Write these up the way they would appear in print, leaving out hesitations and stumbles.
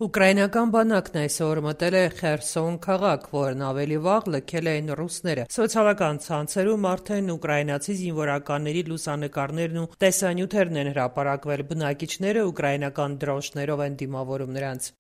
Ուկրաինական բանակն այսօր մտել է Խերսոն քաղաք, որն ավելի վաղ լքել էին ռուսները։ Սոցիալական ցանցերում արդեն ուկրաինացի զինվորականների լուսանկարներն ու տեսանյութերն են հրապարակվել։ Բնակիչները ուկրաինական դրոշներով են դիմավորում նրանց։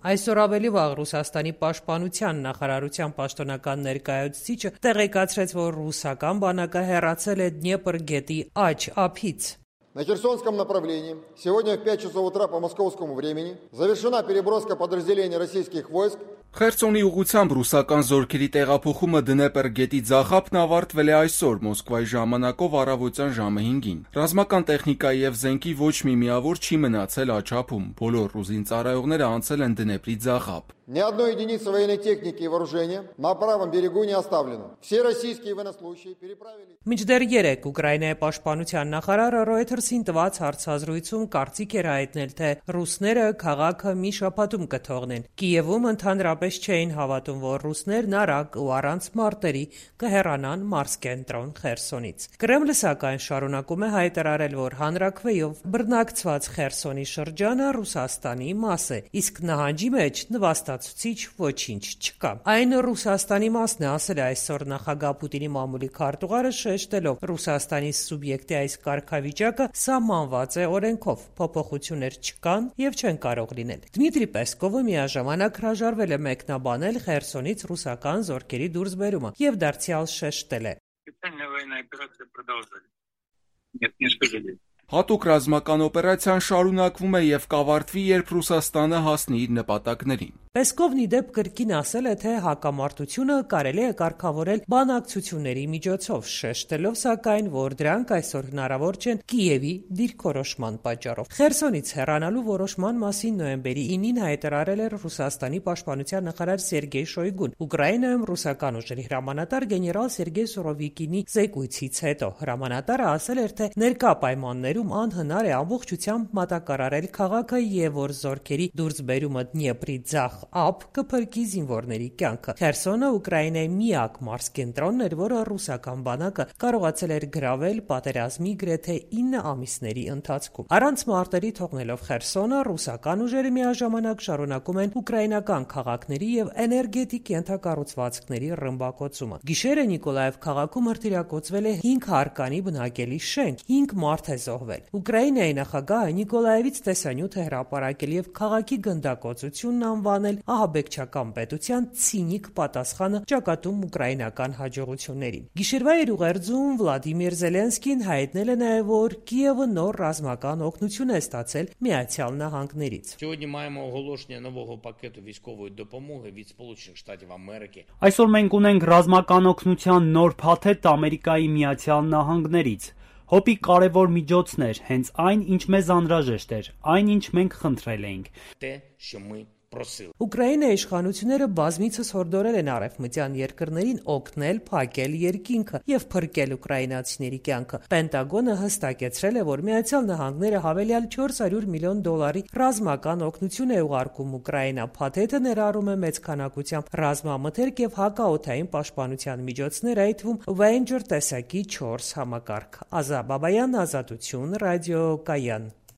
Այսօր ավելի վաղ Ռուսաստանի պաշտպանության նախարարության պաշտոնական ներկայացուցիչը տեղեկացրեց, որ ռուսական բանակը հեռացել է Դնեպր գետի աջ ափից։ На Херсонском направлении сегодня в 5 часов утра по московскому времени завершена переброска подразделений российских войск. Խերսոնի ուղղությամբ ռուսական զորքերի տեղափոխումը Դնեպր գետի ձախապն ավարտվել է այսօր Մոսկվայի ժամանակով առավոտյան ժամը 5-ին։ Ռազմական տեխնիկայի եւ զենքի ոչ մի միավոր չի մնացել աչափում։ Բոլոր ռուզին ծառայողները անցել են Դնեպրի ձախապ։ Ни одной единицы военной техники и вооружения на правом берегу не оставлено. Все российские военнослужащие переправили. Մինչդեռ 3 Ուկրաինայի պաշտպանության նախարարը Reuters-ին տված հարցազրույցում կարծիք էր հայտնել, թե ռուսները քաղաքը մի շաբաթում կթողնեն։ Կիևում ընդհանրապես չէին հավատում, որ ռուսներն արագ ու առանց մարտերի կհեռանան մարզկենտրոն Խերսոնից։ Կրեմլը սակայն շարունակում է հայտարարել, որ հանրաքվեով բռնակցված Խերսոնի շրջանը Ռուսաստանի մաս է, իսկ նահանջի մեջ նվաստացուցիչ ոչինչ չկա։ Այն Ռուսաստանի մասն է, ասել է այսօր նախագահ Պուտինի մամուլի քարտուղարը, շեշտելով Ռուսաստանի սուբյեկտի այս կարգավիճակը սահմանված է օրենքով, փոփոխություններ չկան եւ չեն կարող լինել։ Դմիտրի Պեսկովը միաժամանակ հրաժարվել է մեկնաբանել Խերսոնից ռուսական զորքերի դուրսբերումը եւ դարձյալ շեշտել է. Հատուկ ռազմական օպերացիան շարունակվում է եւ կավարտվի, երբ Ռուսաստանը հասնի իր նպատակներին։ Պեսկովն ի դեպ կրկին ասել է, թե հակամարտությունը կարելի է կարգավորել բանակցությունների միջոցով, շեշտելով սակայն, որ դրանք այսօր հնարավոր չեն Կիևի դիրքորոշման պատճառով։ Խերսոնից հեռանալու որոշման մասին նոյեմբերի 9-ին հայտարարել էր Ռուսաստանի պաշտպանության նախարար Սերգեյ Շոյգուն։ Ուկրաինայում ռուսական ուժերի հրամանատար գեներալ Սերգեյ Սուրովիկինի զեկույցից հետո հրամանատարը ասել էր, թե ներկա պայմաններում անհնար է ամբողջությամբ մատակարարել քաղաքը եւ որ զորքերի դուրսբերումը Դնեպրի ձախ ափ կփրկի զինվորների կյանքը։ Խերսոնը Ուկրաինայի միակ մարզկենտրոնն էր, որը ռուսական բանակը կարողացել էր գրավել պատերազմի գրեթե 9 ամիսների ընթացքում։ Առանց մարտերի թողնելով Խերսոնը, ռուսական ուժերը միաժամանակ շարունակում են ուկրաինական քաղաքների եւ էներգետիկ ենթակառուցվածքների ռմբակոծումը։ Գիշերը Նիկոլաև քաղաքում հրթիռակոծվել է 5 հարկանի բնակելի շենք, 5 մարդ է զոհվել։ Ուկրաինայի նախագահը Նիկոլաևից տեսանյութ է հրապարակել եւ քաղաքի գնդակոծությունն անվանել ահաբեկչական պետության ցինիկ պատասխանը ճակատում ուկրաինական հաջողություններին։ Գիշերվա ուղերձում Վլադիմիր Զելենսկին հայտնել է նաև, որ Կիևը նոր ռազմական օգնություն է ստացել Միացյալ Նահանգներից։ Այսօր մենք ունենք ռազմական օգնության նոր փաթեթ Ամերիկայի Միացյալ Նահանգներից։ Հոպի կարևոր միջոցներ, հենց այն, ինչ մեզ անհրաժեշտ էր, այն, ինչ մենք խնդրել էինք։ Ուկրաինայի իշխանությունները բազմիցս հորդորել են արևմտյան երկրներին օգնել փակել երկինքը եւ փրկել ուկրաինացիների կյանքը։ Պենտագոնը հստակեցրել է, որ Միացյալ Նահանգները հավելյալ $400 միլիոն ռազմական օգնություն է ուղարկում Ուկրաինա։ Փաթեթը ներառում է մեծ քանակությամբ ռազմամթերք եւ հակաօդային պաշտպանության միջոցներ, այդ թվում Avenger տեսակի 4 համակարգ։ Ազա Բաբայան, Ազատություն, Ռադիո Կայան։